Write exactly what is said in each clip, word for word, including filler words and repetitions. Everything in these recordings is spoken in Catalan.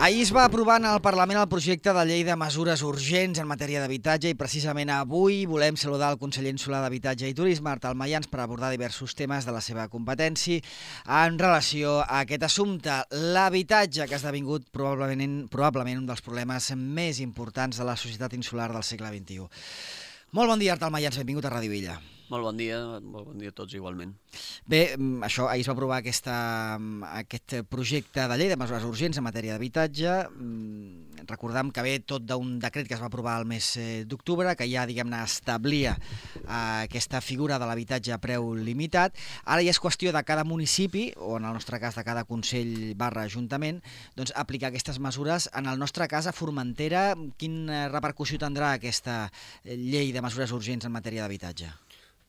Ahir es va aprovar en el Parlament el projecte de llei de mesures urgents en matèria d'habitatge i precisament avui volem saludar el conseller insular d'Habitatge i Turisme, Artal Mayans, per abordar diversos temes de la seva competència en relació a aquest assumpte. L'habitatge, que ha esdevingut probablement, probablement un dels problemes més importants de la societat insular del segle vint-i-u. Molt bon dia, Artal Mayans, benvingut a Ràdio Villa. Molt bon dia, molt bon dia a tots igualment. Bé, això, ahir es va aprovar aquesta, aquest projecte de llei de mesures urgents en matèria d'habitatge. Recordem que ve tot d'un decret que es va aprovar el mes d'octubre, que ja, diguem-ne, establia aquesta figura de l'habitatge a preu limitat. Ara ja és qüestió de cada municipi, o en el nostre cas de cada consell barra ajuntament, doncs aplicar aquestes mesures. En el nostre cas, a Formentera, quina repercussió tindrà aquesta llei de mesures urgents en matèria d'habitatge?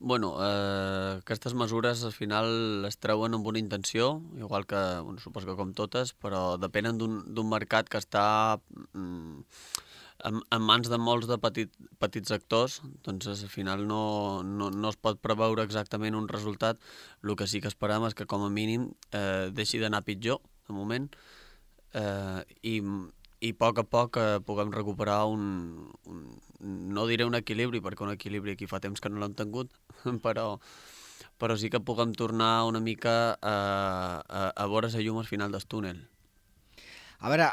Bueno, eh, aquestes mesures al final es treuen amb una intenció, igual que, bueno, suposo que com totes, però depenen d'un mercat que està mm, en, en mans de molts de petit, petits actors, doncs al final no, no, no es pot preveure exactament un resultat. El que sí que esperem és que com a mínim eh, deixi d'anar pitjor, de moment, eh, i, i a poc a poc eh, puguem recuperar un, un, no diré un equilibri, perquè un equilibri aquí fa temps que no l'hem tingut, però, però sí que puguem tornar una mica a, a, a veure la llum al final del túnel. A veure,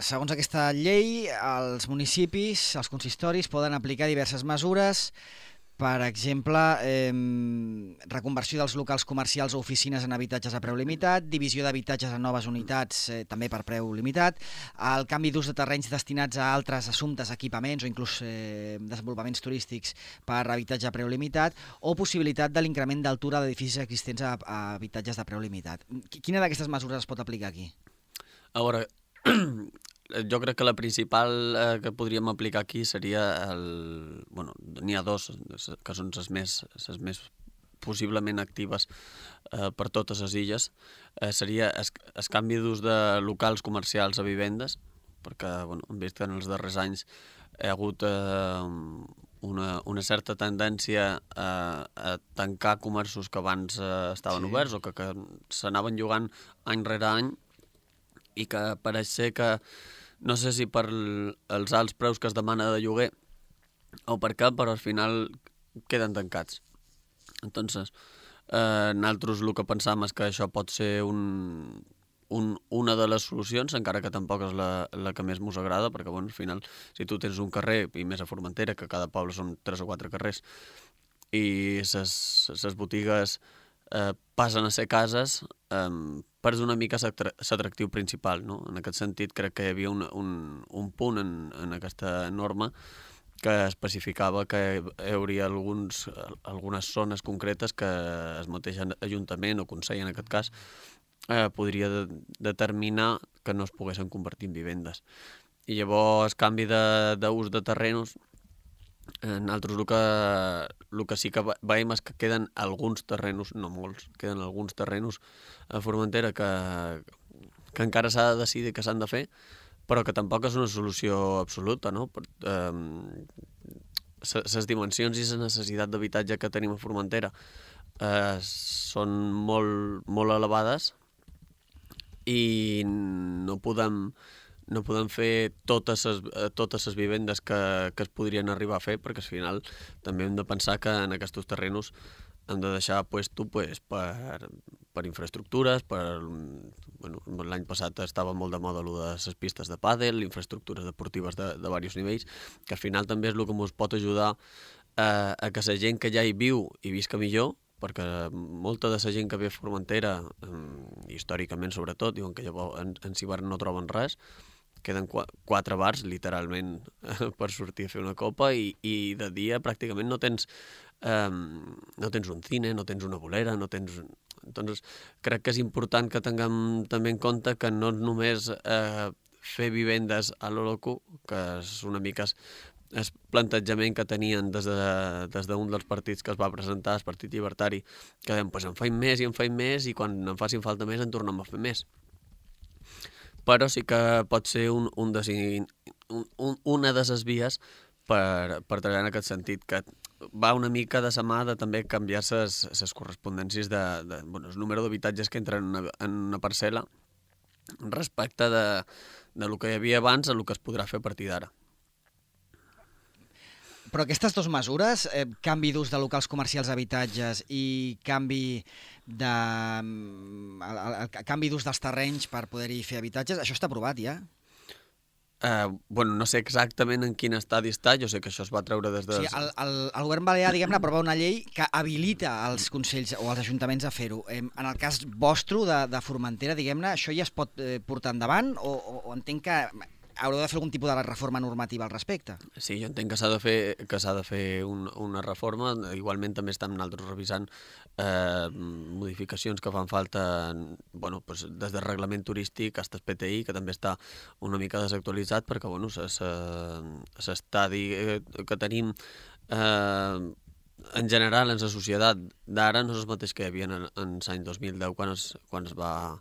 segons aquesta llei, els municipis, els consistoris, poden aplicar diverses mesures. Per exemple, eh, reconversió dels locals comercials o oficines en habitatges a preu limitat, divisió d'habitatges en noves unitats eh, també per preu limitat, el canvi d'ús de terrenys destinats a altres assumptes, equipaments o inclús eh, desenvolupaments turístics per habitatge a preu limitat, o possibilitat de l'increment d'altura d'edificis existents a, a habitatges de preu limitat. Quina d'aquestes mesures es pot aplicar aquí? A veure, jo crec que la principal eh, que podríem aplicar aquí seria el... Bueno, n'hi ha dos, que són les més, les més possiblement actives eh, per totes les illes. Eh, seria el, el canvi d'ús de locals comercials a vivendes, perquè bueno, hem vist que en els darrers anys hi ha hagut eh, una, una certa tendència a, a tancar comerços que abans eh, estaven sí. oberts o que, que s'anaven llogant any rere any, i que pareix ser que, no sé si per els alts preus que es demana de lloguer o per què, però al final queden tancats. Entonces, eh, nosaltres el que pensam és que això pot ser un, un, una de les solucions, encara que tampoc és la, la que més mos agrada, perquè bueno, al final, si tu tens un carrer, i més a Formentera, que cada poble són tres o quatre carrers, i les botigues eh, passen a ser cases, eh, perds una mica l'atractiu principal, no? En aquest sentit, crec que hi havia un, un, un punt en, en aquesta norma que especificava que hi hauria alguns, algunes zones concretes que el mateix Ajuntament o Consell, en aquest cas, eh, podria de, determinar que no es poguessin convertir en vivendes. I llavors, el canvi d'ús de, de terrenos, eh, nosaltres el que, el que sí que veiem és que queden alguns terrenos, no molts, queden alguns terrenos a Formentera que, que encara s'ha de decidir que s'han de fer, però que tampoc és una solució absoluta, no? Les dimensions i la necessitat d'habitatge que tenim a Formentera eh, són molt, molt elevades i no podem, no podem fer totes les, totes les vivendes que, que es podrien arribar a fer, perquè al final també hem de pensar que en aquests terrenos hem de deixar puesto pues, per, per infraestructures, per, bueno, l'any passat estava molt de moda allò de les pistes de pàdel, infraestructures deportives de, de diversos nivells, que al final també és el que ens pot ajudar eh, a que la gent que ja hi viu hi visca millor, perquè molta de la gent que ve a Formentera, eh, històricament sobretot, diuen que llavors en, en Cibart no troben res, queden qu quatre bars, literalment, per sortir a fer una copa, i, i de dia pràcticament no tens, eh, no tens un cine, no tens una bolera, no tens... Entonces, crec que és important que tinguem també en compte que no només eh, fer vivendes a lo loco, que és una mica el plantejament que tenien des d'un de, des dels partits que es va presentar, el Partit Llibertari, que deien, pues en faim més i en faim més, i quan en facin falta més en tornem a fer més. Però sí que pot ser un, un de, un, un, una de les vies per, per treballar en aquest sentit, que va una mica de la mà de també canviar les correspondències de, de bueno, el número d'habitatges que entren en una, en una parcel·la respecte de, del que hi havia abans a el que es podrà fer a partir d'ara. Però aquestes dues mesures, eh, canvi d'ús de locals comercials a habitatges i canvi de el, el, el canvi d'ús dels terrenys per poder-hi fer habitatges, això està aprovat ja? Eh, bueno, no sé exactament en quin estadi està, jo sé que això es va treure des de... O sigui, el, el, el govern balear, diguem-ne, aprova una llei que habilita els consells o els ajuntaments a fer-ho. Eh, en el cas vostre, de, de Formentera, diguem-ne, això ja es pot eh, portar endavant o, o, o entenc que haureu de fer algun tipus de reforma normativa al respecte? Sí, jo entenc que s'ha de fer, que s'ha de fer un, una reforma. Igualment també estem nosaltres revisant eh, modificacions que fan falta bueno, pues, des del reglament turístic fins al P T I, que també està una mica desactualitzat perquè bueno, s'estadi que tenim eh, en general en la societat d'ara no és el mateix que hi havia en, en l'any dos mil deu quan es, quan es va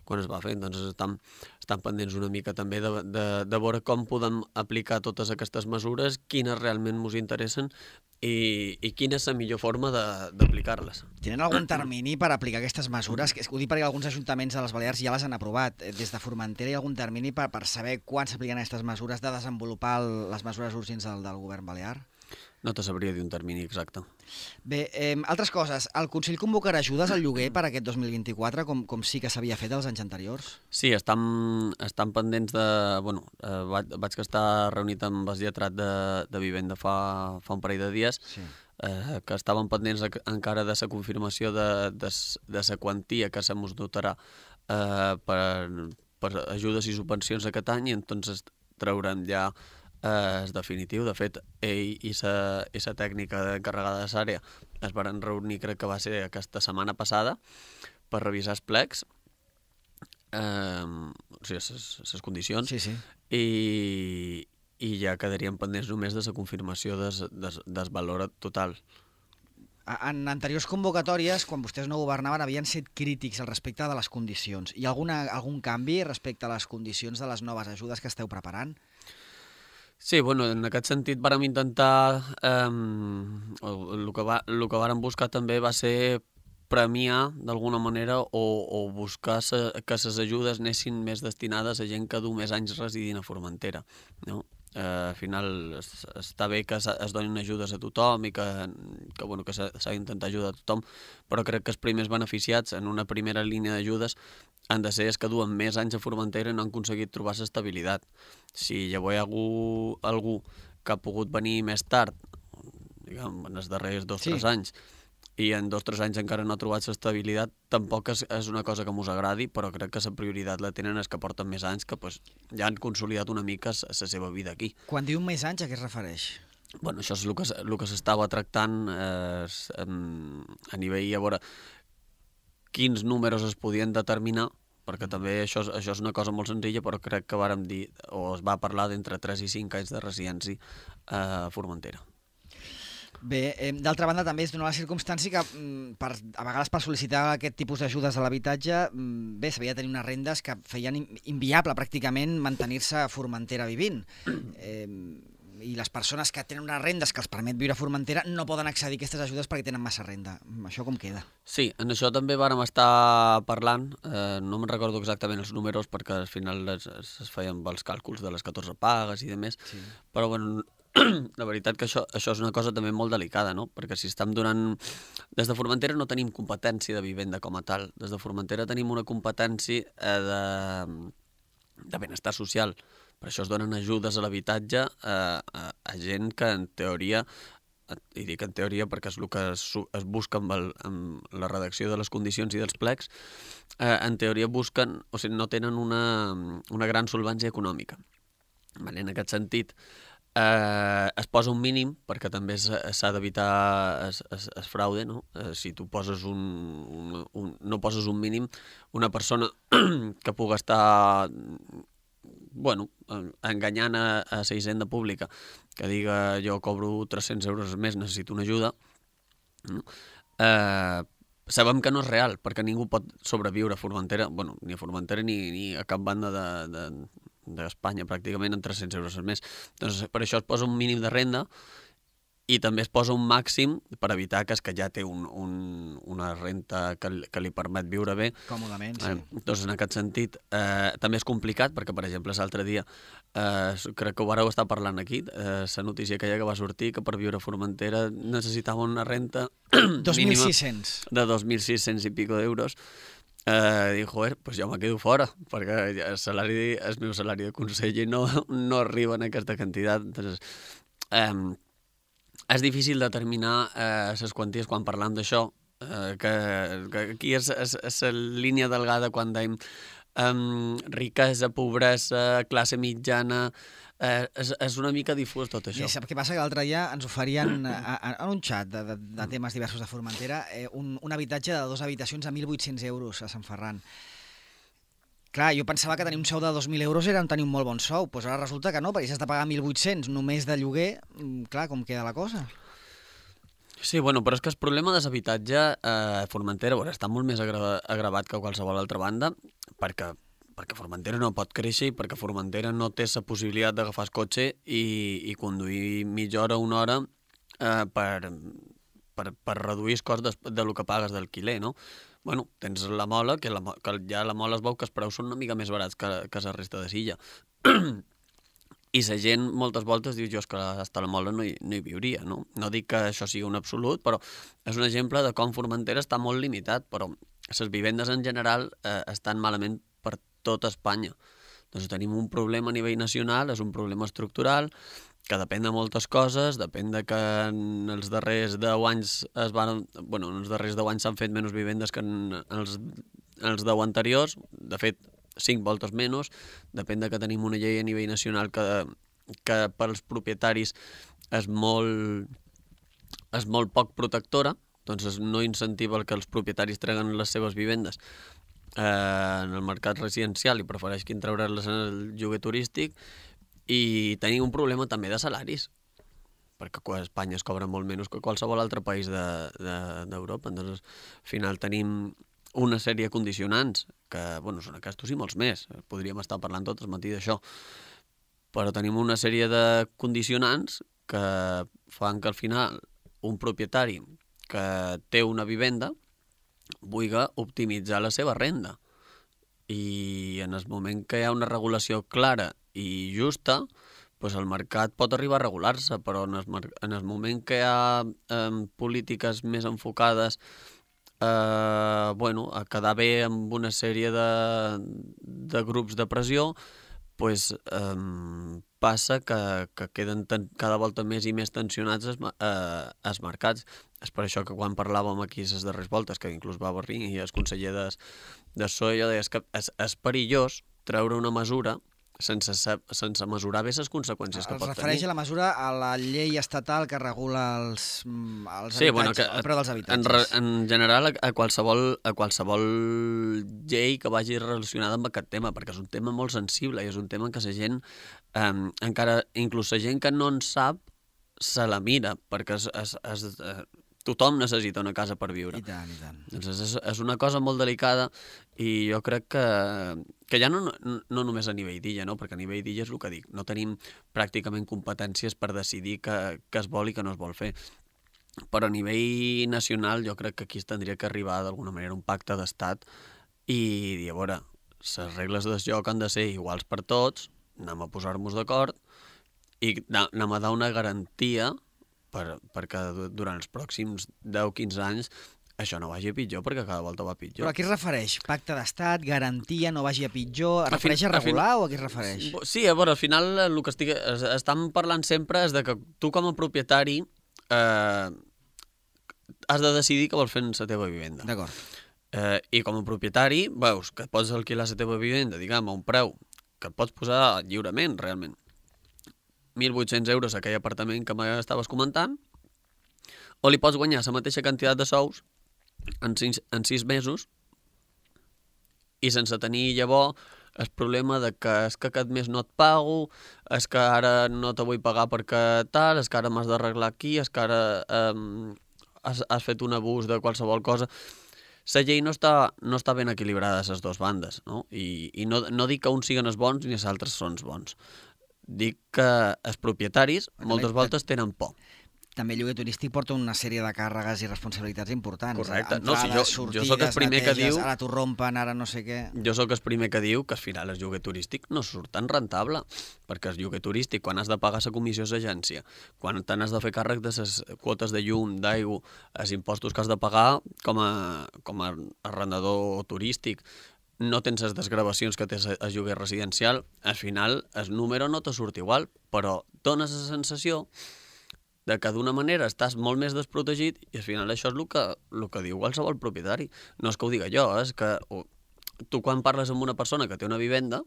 quan es va fer, doncs estan, estan pendents una mica també de, de, de veure com podem aplicar totes aquestes mesures, quines realment ens interessen i, i quina és la millor forma d'aplicar-les. Tenen algun termini per aplicar aquestes mesures? Ho dic perquè alguns ajuntaments de les Balears ja les han aprovat. Des de Formentera hi ha algun termini per, per saber quan s'apliquen aquestes mesures, de desenvolupar el, les mesures urgents del, del govern balear? No te sabria dir un termini exacte. Bé, eh, altres coses. El Consell convocarà ajudes al lloguer per aquest dos mil vint-i-quatre, com, com sí que s'havia fet els anys anteriors? Sí, estan, estan pendents de... Bueno, eh, vaig, vaig estar reunit amb el lletrat de, de Vivenda fa, fa un parell de dies, sí. eh, que estaven pendents encara de la confirmació de, de, de la quantia que se mos dotarà eh, per, per ajudes i subvencions aquest any, i entonces traurem ja és definitiu. De fet, ell i la tècnica encarregada de l'àrea es van reunir, crec que va ser aquesta setmana passada, per revisar els plecs, eh, o sigui, les condicions, sí, sí. I, i ja quedarien pendents només de la confirmació des, des, del valor total. En anteriors convocatòries, quan vostès no governaven, havien set crítics al respecte de les condicions. Hi ha alguna, algun canvi respecte a les condicions de les noves ajudes que esteu preparant? Sí, bueno, en aquest sentit vàrem intentar, eh, el, que va, el que vàrem buscar també va ser premiar d'alguna manera o, o buscar se, que les ajudes anessin més destinades a gent que du més anys residint a Formentera, no? Eh, al final es, està bé que es, es donin ajudes a tothom i que, que, bueno, que s'ha d'intentar ajudar a tothom, però crec que els primers beneficiats en una primera línia d'ajudes han de ser els que duen més anys a Formentera i no han aconseguit trobar l'estabilitat. Si llavors hi ha algú, algú que ha pogut venir més tard, diguem, en els darrers dos o tres sí. anys, i en dos o tres anys encara no ha trobat l'estabilitat, tampoc és, és una cosa que mos agradi, però crec que la prioritat la tenen els que porten més anys, que pues, ja han consolidat una mica la seva vida aquí. Quan diu més anys, a què es refereix? Bueno, això és el que, el que s'estava tractant eh, a nivell, a veure, quins números es podien determinar, perquè també això, això és una cosa molt senzilla, però crec que vàrem dir, o es va parlar d'entre tres i cinc anys de residència a Formentera. Bé, eh, d'altra banda també es dona la circumstància que per, a vegades per sol·licitar aquest tipus d'ajudes a l'habitatge bé, s'havia de tenir unes rendes que feien inviable pràcticament mantenir-se a Formentera vivint. Eh, I les persones que tenen unes rendes que els permet viure a Formentera no poden accedir a aquestes ajudes perquè tenen massa renda. Això com queda? Sí, en això també vàrem estar parlant, eh, no me'n recordo exactament els números perquè al final es, es feien els càlculs de les catorze pagues i de més, sí. Però bueno, la veritat que això, això és una cosa també molt delicada, no? Perquè si estem donant... Des de Formentera no tenim competència de vivenda com a tal. Des de Formentera tenim una competència eh, de, de benestar social. Per això es donen ajudes a l'habitatge eh, a, a gent que en teoria, i dic en teoria perquè és el que es, es busca amb, el, amb la redacció de les condicions i dels plecs, eh, en teoria busquen, o sigui, no tenen una, una gran solvència econòmica. Vale? En aquest sentit, Eh, es posa un mínim perquè també s'ha d'evitar es, es, es fraude, no? Eh, si tu poses un, un, un, no poses un mínim, una persona que pugui estar bueno, enganyant a, a la hisenda pública, que diga jo cobro tres-cents euros més, necessito una ajuda, no? eh, sabem que no és real, perquè ningú pot sobreviure a Formentera, bueno, ni a Formentera ni, ni a cap banda de, de d'Espanya pràcticament en tres-cents euros al mes. Doncs per això es posa un mínim de renda i també es posa un màxim per evitar que, que ja té un, un, una renta que, que li permet viure bé. Còmodament, sí. Eh, doncs en aquest sentit eh, també és complicat perquè, per exemple, l'altre dia, eh, crec que ho vareu estar parlant aquí, eh, la notícia aquella que va sortir que per viure a Formentera necessitava una renta dos mil mínima sis-cents. de dos mil sis-cents i pico d'euros. Eh, dic, joder, pues jo me quedo fora, perquè el, salari, el meu salari de conseller no, no arriba en aquesta quantitat. Entonces, eh, és difícil determinar eh, les quanties quan parlam d'això, eh, que, que aquí és, és, és la línia delgada quan dèiem um, riquesa, pobresa, classe mitjana, eh, és, és una mica difús tot això. I sap què passa? Que l'altre dia ens oferien a, a, en un xat de, de, de temes diversos de Formentera eh, un, un habitatge de dues habitacions a mil vuit-cents euros a Sant Ferran. Clar, jo pensava que tenir un sou de dos mil euros era tenir un molt bon sou, doncs ara resulta que no, perquè si has de pagar mil vuit-cents només de lloguer, clar, com queda la cosa? Sí, bueno, però és que el problema de l'habitatge eh, a Formentera bueno, està molt més agra agravat que a qualsevol altra banda, perquè, perquè Formentera no pot créixer i perquè Formentera no té la possibilitat d'agafar el cotxe i, i conduir mitja hora o una hora eh, per, per, per reduir el cost de, de lo que pagues d'alquiler, no? Bueno, tens la Mola, que, la, que ja la Mola es veu que els preus són una mica més barats que, que la resta de Silla. I la gent moltes voltes diu, jo és que hasta la Mola no hi, no hi viuria, no? No dic que això sigui un absolut, però és un exemple de com Formentera està molt limitat, però les vivendes en general eh, estan malament per tot Espanya. Doncs tenim un problema a nivell nacional, és un problema estructural, que depèn de moltes coses, depèn de que en els darrers deu anys es van, bueno, en els darrers deu anys s'han fet menys vivendes que en els, en els deu anteriors, de fet, cinc voltes menys, depèn de que tenim una llei a nivell nacional que, que per als propietaris és molt, és molt poc protectora, doncs no incentiva que els propietaris treguen les seves vivendes eh, en el mercat residencial i prefereixin treure-les en el lloguer turístic. I tenim un problema també de salaris, perquè a Espanya es cobra molt menys que qualsevol altre país d'Europa. De, de, doncs, al final tenim una sèrie de condicionants, que bueno, són aquests i molts més. Podríem estar parlant tot el matí d'això. Però tenim una sèrie de condicionants que fan que al final un propietari que té una vivenda vulgui optimitzar la seva renda. I en el moment que hi ha una regulació clara i justa, doncs el mercat pot arribar a regular-se, però en el, en el moment que hi ha eh, polítiques més enfocades eh, bueno, a quedar bé amb una sèrie de, de grups de pressió, doncs eh, passa que, que queden ten, cada volta més i més tensionats els, eh, els mercats. És per això que quan parlàvem aquí les darreres voltes, que inclús va venir i el conseller de, de S O E, jo deia que és, és perillós treure una mesura sense, sense mesurar bé les conseqüències que pot tenir. Es refereix a la mesura a la llei estatal que regula els, els sí, habitatges, bueno, que, el preu dels habitatges. En, en general, a qualsevol, a qualsevol llei que vagi relacionada amb aquest tema, perquè és un tema molt sensible i és un tema que la gent, eh, encara, inclús la gent que no en sap, se la mira, perquè es, es, es, es, tothom necessita una casa per viure. I tant, i tant. Doncs és, és una cosa molt delicada i jo crec que, que ja no, no, no només a nivell d'illa, no? Perquè a nivell d'illa és el que dic, no tenim pràcticament competències per decidir què, què es vol i què no es vol fer. Però a nivell nacional jo crec que aquí es tindria que arribar d'alguna manera un pacte d'estat i dir, a veure, les regles del joc han de ser iguals per tots, anem a posar-nos d'acord i anem a dar una garantia per, perquè durant els pròxims deu a quinze anys això no vagi a pitjor, perquè cada volta va a pitjor. Però a què es refereix? Pacte d'estat, garantia, no vagi a pitjor? Es refereix a regular o a què es refereix? Sí, a veure, al final el que estic, estem parlant sempre és de que tu com a propietari eh, has de decidir què vols fer en la teva vivenda. D'acord. Eh, I com a propietari veus que pots alquilar la teva vivenda, diguem, a un preu que et pots posar lliurement, realment. mil vuit-cents euros a aquell apartament que m'estaves comentant, o li pots guanyar la mateixa quantitat de sous en sis, en sis mesos i sense tenir llavors el problema de que és que aquest mes no et pago, és que ara no te vull pagar perquè tal, és que ara m'has d'arreglar aquí, és que ara um, has, has fet un abús de qualsevol cosa. La llei no està, no està ben equilibrada a les dues bandes, no? I, i no, no dic que uns siguin els bons ni els altres són els bons. Dic que els propietaris moltes voltes tenen por. també el lloguer turístic porta una sèrie de càrregues i responsabilitats importants. Correcte. Entrades, No, si jo, sortides, jo sóc el primer neteges, que diu... ara t'ho rompen, ara no sé què... Jo sóc el primer que diu que al final el lloguer turístic no surt tan rentable, perquè el lloguer turístic, quan has de pagar la comissió d'agència, quan te n'has de fer càrrec de les quotes de llum, d'aigua, els impostos que has de pagar com a, com a arrendador turístic, no tens les desgravacions que tens el lloguer residencial, al final el número no te surt igual, però dones la sensació de que d'una manera estàs molt més desprotegit i al final això és el que, el que diu qualsevol propietari. No és que ho diga jo, és que tu quan parles amb una persona que té una vivenda,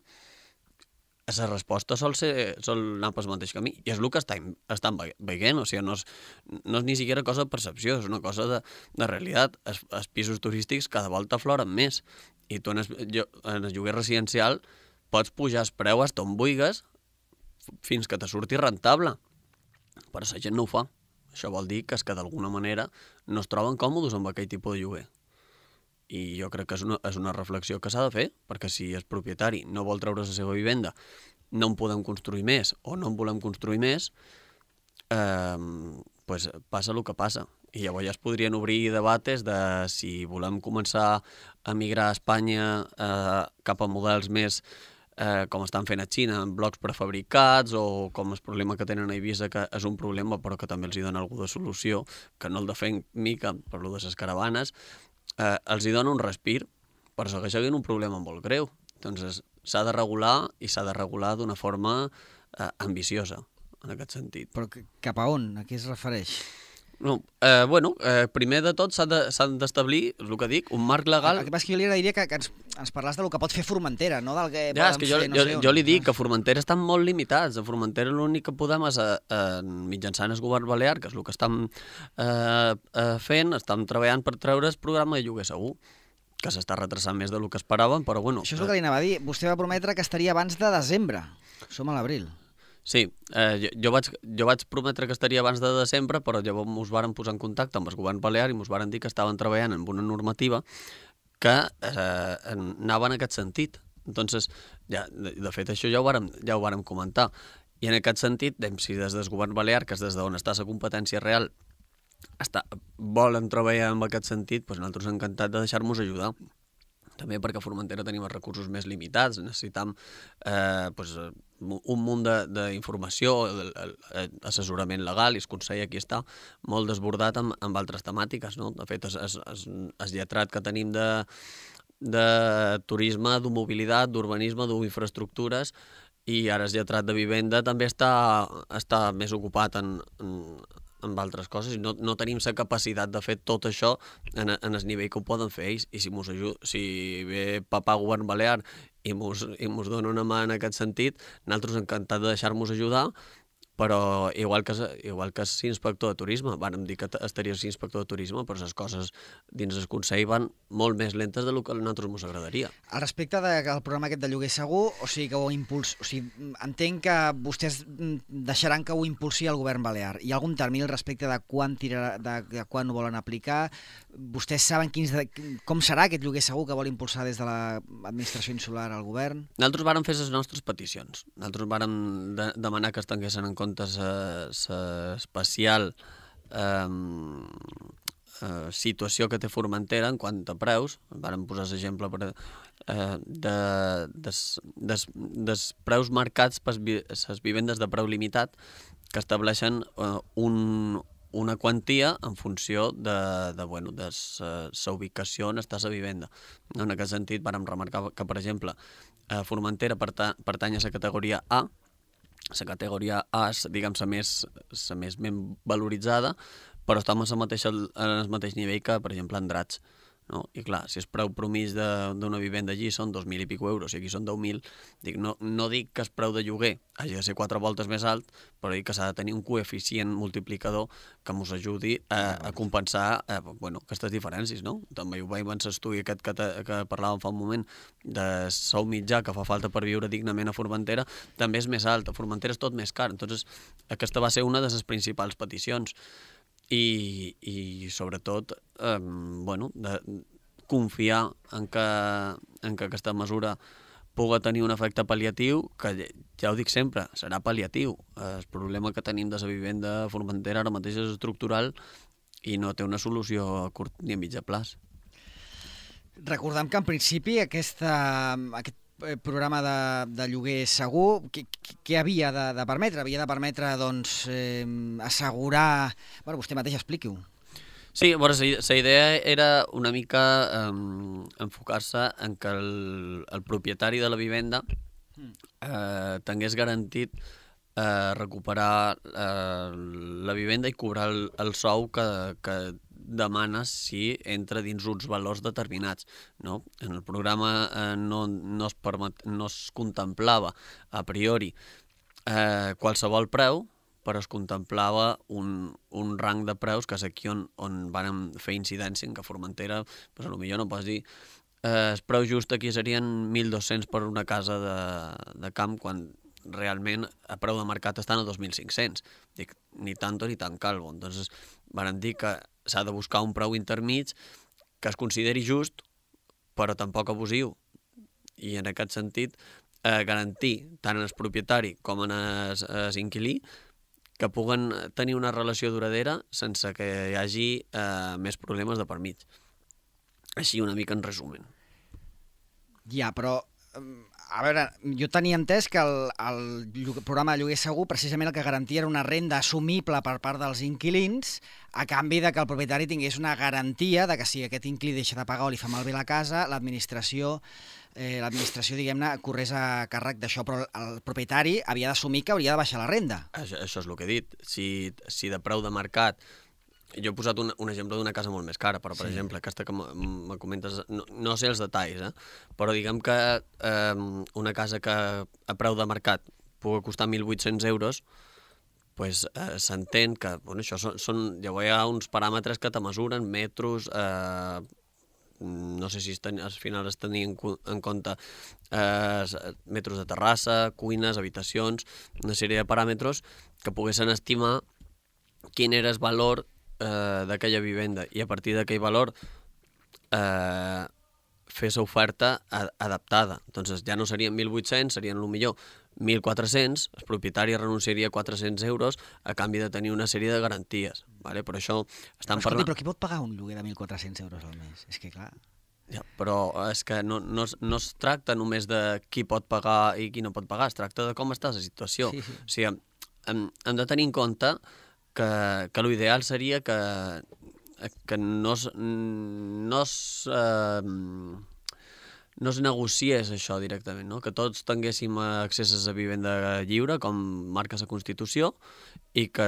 la resposta sol, ser, sol anar pel mateix camí. I és el que estan, estan veient, o sigui, no és, no és ni siquiera cosa de percepció, és una cosa de, de realitat. Els, els pisos turístics cada volta afloren més i tu en el, jo, en el lloguer residencial pots pujar el preu fins on vulguis fins que te surti rentable. Però la gent no ho fa. Això vol dir que és que d'alguna manera no es troben còmodes amb aquell tipus de lloguer. I jo crec que és una, és una reflexió que s'ha de fer, perquè si el propietari no vol treure la seva vivenda, no en podem construir més o no en volem construir més, eh, pues passa el que passa. I llavors ja es podrien obrir debates de si volem començar a migrar a Espanya eh, cap a models més Eh, com estan fent a Xina, en blocs prefabricats, o com el problema que tenen a Eivissa, que és un problema però que també els hi dona algú de solució, que no el defen mica per lo de les caravanes, eh, els hi dona un respir, però segueix havent un problema molt greu. Doncs s'ha de regular i s'ha de regular d'una forma eh, ambiciosa, en aquest sentit. Però cap a on? A què es refereix? No, eh, bueno, eh, primer de tot s'han d'establir, de, el que dic, un marc legal... El que passa és que jo li agrairia que, que ens, ens parlàs del que pot fer Formentera, no del que ja, podem és que jo, fer no jo, sé on. Jo li dic que a Formentera estan molt limitats. A Formentera l'únic que podem és, a, a, mitjançant el govern balear, que és el que estem eh, eh, fent, estem treballant per treure el programa de lloguer segur, que s'està retrasant més del que esperàvem, però bueno... Això és el que li anava a dir. Vostè va prometre que estaria abans de desembre. Som a l'abril. Sí, eh, jo, jo, vaig, jo vaig prometre que estaria abans de desembre, però llavors ens varen posar en contacte amb el govern balear i ens varen dir que estaven treballant en una normativa que eh, anava en aquest sentit. Entonces, ja, de, de fet, això ja ho vàrem, ja ho vàrem comentar. I en aquest sentit, si des del govern balear, que és des d'on està la competència real, està, volen treballar en aquest sentit, doncs nosaltres encantats de deixar-nos ajudar. També perquè a Formentera tenim els recursos més limitats, necessitam eh, pues, un munt d'informació, assessorament legal, i el Consell aquí està molt desbordat amb, amb altres temàtiques, no? De fet, el lletrat que tenim de, de turisme, de mobilitat, d'urbanisme, d'infraestructures, i ara el lletrat de vivenda també està, està més ocupat en, en amb altres coses, i no, no tenim la capacitat de fer tot això en, en el nivell que ho poden fer ells, i si, mos ajud, si ve papà govern balear i mos, i mos dona una mà en aquest sentit, nosaltres encantats de deixar-nos ajudar, però igual que, igual que si inspector de turisme, vàrem dir que estaries inspector de turisme, però les coses dins el Consell van molt més lentes del que a nosaltres ens agradaria. Al respecte del programa aquest de lloguer segur, o sigui que ho impuls... o sigui, entenc que vostès deixaran que ho impulsi el govern balear. Hi ha algun termini al respecte de quan, tirarà, de, de quan ho volen aplicar? Vostès saben quins de, com serà aquest lloguer segur que vol impulsar des de l'administració insular al govern? Nosaltres vàrem fer les nostres peticions. Nosaltres vàrem de, demanar que es tinguessin en compte l'especial eh, eh, situació que té Formentera en quant a preus. Vàrem posar l'exemple per, eh, de, des, des, des preus marcats per les vivendes de preu limitat que estableixen eh, un, una quantia en funció de, de, bueno, de la ubicació on està la vivenda. En aquest sentit, vàrem remarcar que, per exemple, eh, Formentera pertany a la categoria A. La categoria A és, diguem, la més, la més ben valoritzada, però està en el mateix nivell que, per exemple, Andratx. No? I clar, si el preu promís d'una vivenda allí són dos mil i pico euros i aquí són deu mil, dic, no, no dic que el preu de lloguer hagi de ser quatre voltes més alt, però dic que s'ha de tenir un coeficient multiplicador que ens ajudi a, a compensar eh, bueno, aquestes diferències. No? També ho veiem en l'estudi aquest que, te, que parlàvem fa un moment de sou mitjà que fa falta per viure dignament a Formentera, també és més alt. A Formentera és tot més car. Entonces, aquesta va ser una de les principals peticions. I, i sobretot eh, bueno, de confiar en que, en que aquesta mesura pugui tenir un efecte pal·liatiu, que ja ho dic sempre, serà pal·liatiu. El problema que tenim de la vivenda a Formentera ara mateix és estructural i no té una solució a curt ni a mitjà plaç. Recordem que en principi aquesta, aquest programa de, de lloguer segur, què, què havia de, de permetre? Havia de permetre doncs, eh, assegurar... Bueno, vostè mateix expliqui-ho. Sí, bueno, la idea era una mica um, enfocar-se en que el, el propietari de la vivenda eh, tingués garantit eh, recuperar eh, la vivenda i cobrar el, el sou que, que demana si entra dins uns valors determinats. No? En el programa eh, no, no, es permet, no es contemplava a priori eh, qualsevol preu, però es contemplava un, un rang de preus, que és aquí on, on vam fer incidència, en que Formentera, doncs potser no pots dir, eh, el preu just aquí serien mil dos-cents per una casa de, de camp, quan realment a preu de mercat estan a dos mil cinc-cents. Dic, ni tanto ni tan calvo. Entonces, van dir que s'ha de buscar un preu intermig que es consideri just, però tampoc abusiu. I en aquest sentit, eh, garantir tant en el propietari com en el inquilí que puguen tenir una relació duradera sense que hi hagi eh, més problemes de per mig. Així una mica en resumen. Ja, però, a veure, jo tenia entès que el, el programa de lloguer segur precisament el que garantia era una renda assumible per part dels inquilins a canvi de que el propietari tingués una garantia de que si aquest inquilí deixa de pagar o li fa malbé la casa, l'administració eh, l'administració, diguem-ne, corrés a càrrec d'això, però el propietari havia d'assumir que hauria de baixar la renda. Això, això és el que he dit. Si, si de preu de mercat... Jo he posat un, un exemple d'una casa molt més cara, però, per sí. exemple, aquesta que me comentes, no, no sé els detalls, eh? però diguem que eh, una casa que a preu de mercat pugui costar mil vuit-cents euros, pues, eh, s'entén que bueno, això són, són, ja hi ha uns paràmetres que te mesuren, metros, eh, no sé si es ten, al final es tenia en, en compte eh, metres de terrassa, cuines, habitacions, una sèrie de paràmetres que poguessin estimar quin era el valor eh, d'aquella vivenda i a partir d'aquell valor eh, fer l'oferta adaptada. Doncs ja no serien mil vuit-cents, serien potser mil quatre-cents, el propietari renunciaria a quatre-cents euros a canvi de tenir una sèrie de garanties. Vale? Però això estan però, escolti, parlant... Però qui pot pagar un lloguer de mil quatre-cents euros al mes? És que clar... Ja, però és que no, no, no es tracta només de qui pot pagar i qui no pot pagar, es tracta de com està la situació. Sí, sí. O sigui, hem, hem de tenir en compte que, que l'ideal seria que, que no es, no es, eh, no es negociés això directament, no? Que tots tinguéssim accés a vivenda lliure, com marca la Constitució, i que,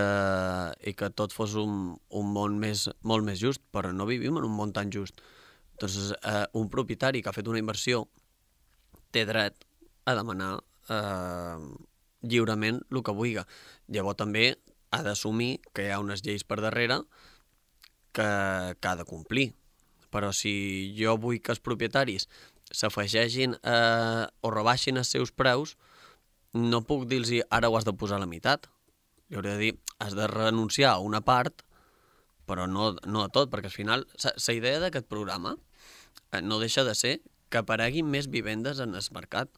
i que tot fos un, un món més, molt més just, però no vivim en un món tan just. Doncs eh, un propietari que ha fet una inversió té dret a demanar eh, lliurement el que vulgui. Llavors també ha d'assumir que hi ha unes lleis per darrere que, que ha de complir. Però si jo vull que els propietaris s'afegeixin eh, o rebaixin els seus preus, no puc dir-los ara ho has de posar a la meitat. Li hauré de dir, has de renunciar a una part, però no, no a tot, perquè al final la idea d'aquest programa no deixa de ser que apareguin més vivendes en el mercat.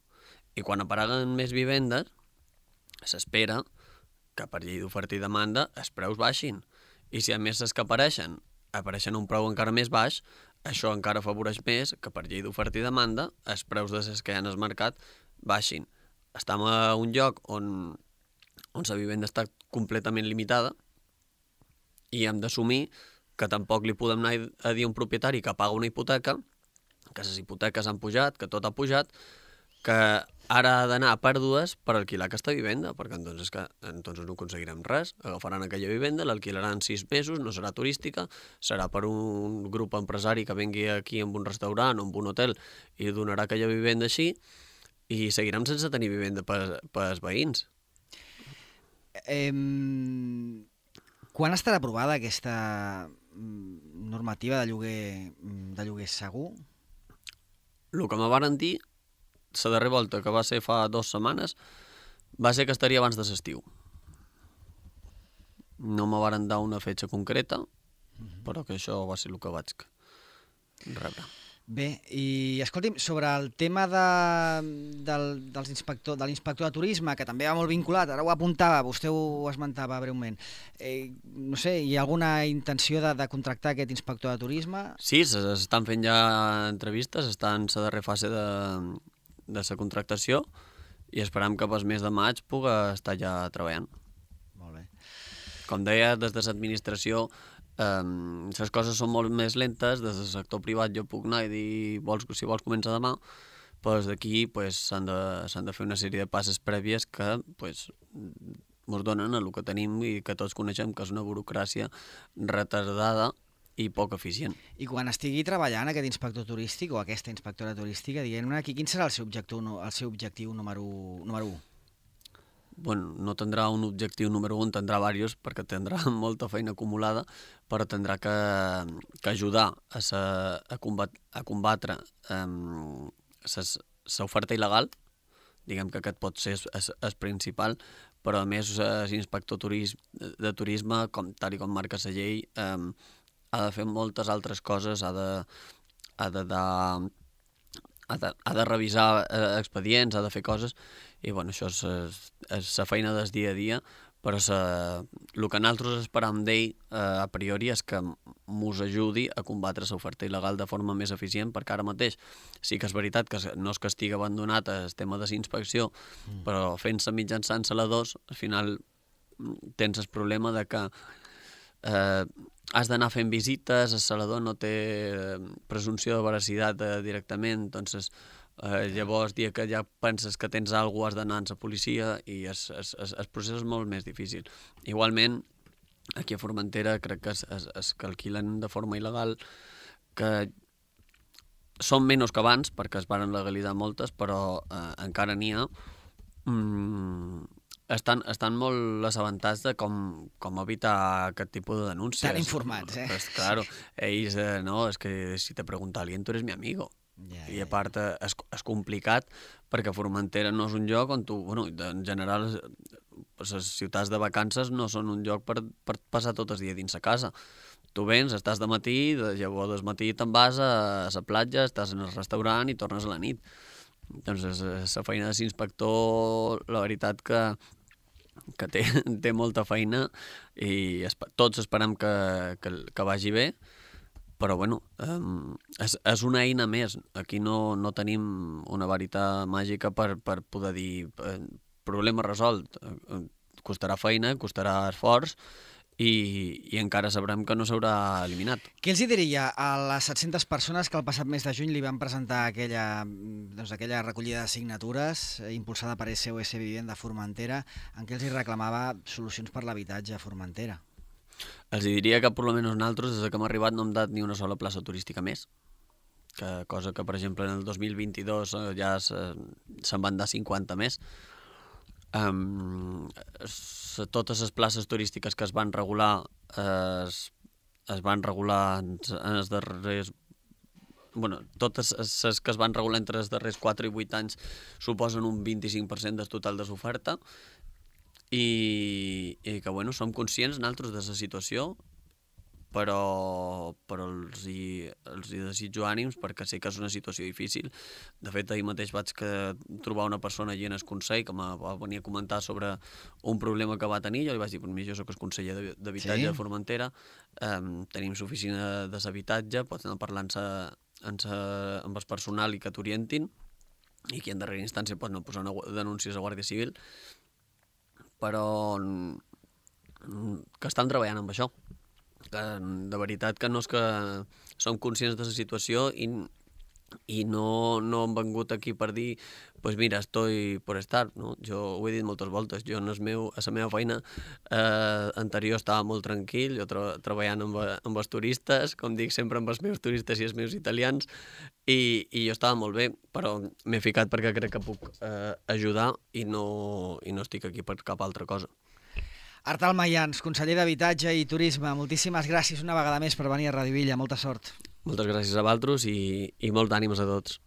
I quan apareguen més vivendes, s'espera que per llei d'oferta i demanda els preus baixin. I si a més les que apareixen, apareixen a un preu encara més baix, això encara afavoreix més que per llei d'oferta i demanda els preus de les que hi ha en el mercat baixin. Estem a un lloc on, on la vivenda està completament limitada i hem d'assumir que tampoc li podem anar a dir a un propietari que paga una hipoteca, que les hipoteques han pujat, que tot ha pujat, que ara ha d'anar a pèrdues per alquilar aquesta vivenda, perquè entonces, que, entonces no aconseguirem res. Agafaran aquella vivenda, l'alquilaran sis mesos, no serà turística, serà per un grup empresari que vengui aquí amb un restaurant o amb un hotel i donarà aquella vivenda així i seguirem sense tenir vivenda per, per als veïns. Eh, quan estarà aprovada aquesta normativa de lloguer, de lloguer segur? El que me van dir, la darrera volta, que va ser fa dues setmanes, va ser que estaria abans de l'estiu. No me van dar una fetge concreta, però que això va ser el que vaig rebre. Bé, i escolti'm, sobre el tema de, del, dels inspector, de l'inspector de turisme, que també va molt vinculat, ara ho apuntava, vostè ho esmentava breument, eh, no sé, hi ha alguna intenció de, de contractar aquest inspector de turisme? Sí, s'estan fent ja entrevistes, està en la darrera fase de, de la contractació i esperam que pel mes de maig puga estar ja treballant. Molt bé. Com deia, des de l'administració Um, les coses són molt més lentes, des del sector privat jo puc anar i dir vols, si vols comença demà, però d'aquí pues, s'han de, s'han de fer una sèrie de passes prèvies que pues, ens donen el que tenim i que tots coneixem, que és una burocràcia retardada i poc eficient. I quan estigui treballant aquest inspector turístic o aquesta inspectora turística, diguem-ne aquí, quin serà el seu objectiu, el seu objectiu número, número u? Bueno, no tindrà un objectiu número un, tindrà diversos, perquè tindrà molta feina acumulada, però tindrà que, que ajudar a, sa, a, combat, a combatre um, l'oferta il·legal, diguem que aquest pot ser el principal, però a més l'inspector turisme, de turisme, com, tal i com marca la llei, um, ha de fer moltes altres coses, ha de, ha de, de, ha de, ha de revisar eh, expedients, ha de fer coses, i bueno, això és, és, és la feina del dia a dia, però sa, el que nosaltres esperam d'ell eh, a priori és que mos ajudi a combatre l'oferta il·legal de forma més eficient, perquè ara mateix sí que és veritat que no és que estigui abandonat el tema de la inspecció, mm. però fent-se mitjançant saladors, al final tens el problema de que eh, has d'anar fent visites, el salador no té presumpció de veracitat eh, directament, doncs Uh, llavors, dia que ja penses que tens alguna cosa, has d'anar a la policia i es, es, es, el procés és molt més difícil. Igualment, aquí a Formentera crec que es, es, es calquilen de forma il·legal, que són menys que abans, perquè es van legalitzar moltes, però uh, encara n'hi ha. Mm, estan, estan molt assabentats de com, com evitar aquest tipus de denúncies. Estan informats, eh? Pues, claro, ells, eh, no, és que si te pregunta alguien, tu eres mi amigo. Ja, I a part és, és complicat perquè Formentera no és un lloc on tu, bueno, en general les ciutats de vacances no són un lloc per, per passar tot el dia dins la casa. Tu vens, estàs de matí, de llavors del matí te'n vas a la platja, estàs en el restaurant i tornes a la nit. Doncs la feina de l'inspector, la veritat que, que té, té molta feina i esp tots esperem que, que, que vagi bé. Però, bueno, um, és, és una eina més. Aquí no, no tenim una varita màgica per, per poder dir eh, problema resolt. Eh, costarà feina, costarà esforç i, i encara sabrem que no s'haurà eliminat. Què els diria a les set-centes persones que el passat mes de juny li van presentar aquella, doncs, aquella recollida de signatures eh, impulsada per S O S Vivenda Formentera, en què els hi reclamava solucions per l'habitatge a Formentera? Els diria que per almenys nosaltres, des que hem arribat, no hem dat ni una sola plaça turística més, que, cosa que, per exemple, en el dos mil vint-i-dos ja se'n van dar cinquanta més. Um, totes les places turístiques que es van regular es, es van regular en, en els darrers... Bueno, totes les que es van regular entre els darrers quatre i vuit anys suposen un vint-i-cinc per cent del total de l'oferta. I, i que, bueno, som conscients nosaltres de la situació, però, però els, hi, els hi desitjo ànims perquè sé que és una situació difícil. De fet, ahir mateix vaig que trobar una persona allí en el Consell que em va venir a comentar sobre un problema que va tenir. Jo li vaig dir, per mi jo soc el conseller d'Habitatge de Formentera, um, tenim l'oficina de l'habitatge, pots anar parlant amb el personal i que t'orientin, i que en darrera instància pots anar posant denúncies a Guàrdia Civil, però que estan treballant amb això. Que, de veritat que no és que som conscients de la situació i, i no, no hem vengut aquí per dir pues mira, estoy por estar, no? Jo ho he dit moltes voltes, jo en el meu, a la meva feina eh, anterior estava molt tranquil, jo tra treballant amb, amb els turistes, com dic sempre amb els meus turistes i els meus italians, i, i jo estava molt bé, però m'he ficat perquè crec que puc eh, ajudar i no, i no estic aquí per cap altra cosa. Artal Mayans, conseller d'Habitatge i Turisme, moltíssimes gràcies una vegada més per venir a Radio Illa, molta sort. Moltes gràcies a vosaltres i, i molts d'ànims a tots.